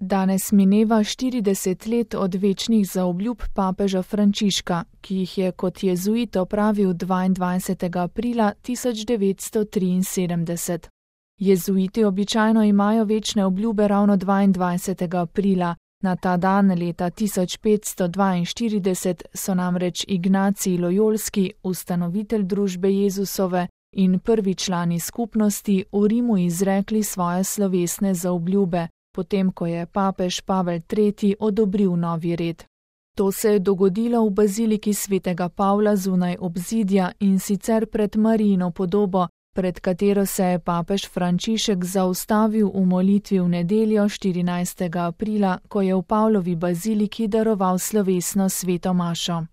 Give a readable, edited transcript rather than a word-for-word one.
Danes mineva 40 let od večnih zaobljub papeža Frančiška, ki jih je kot jezuit opravil 22. aprila 1973. Jezuiti običajno imajo večne obljube ravno 22. aprila. Na ta dan leta 1542 so namreč Ignacij Lojolski, ustanovitelj družbe Jezusove, in prvi člani skupnosti v Rimu izrekli svoje slovesne zaobljube, potem ko je papež Pavel III. Odobril novi red. To se je dogodilo v baziliki svetega Pavla zunaj obzidja in sicer pred Marijino podobo, pred katero se je papež Frančišek zaustavil v molitvi v nedeljo 14. aprila, ko je v Pavlovi baziliki daroval slovesno sveto mašo.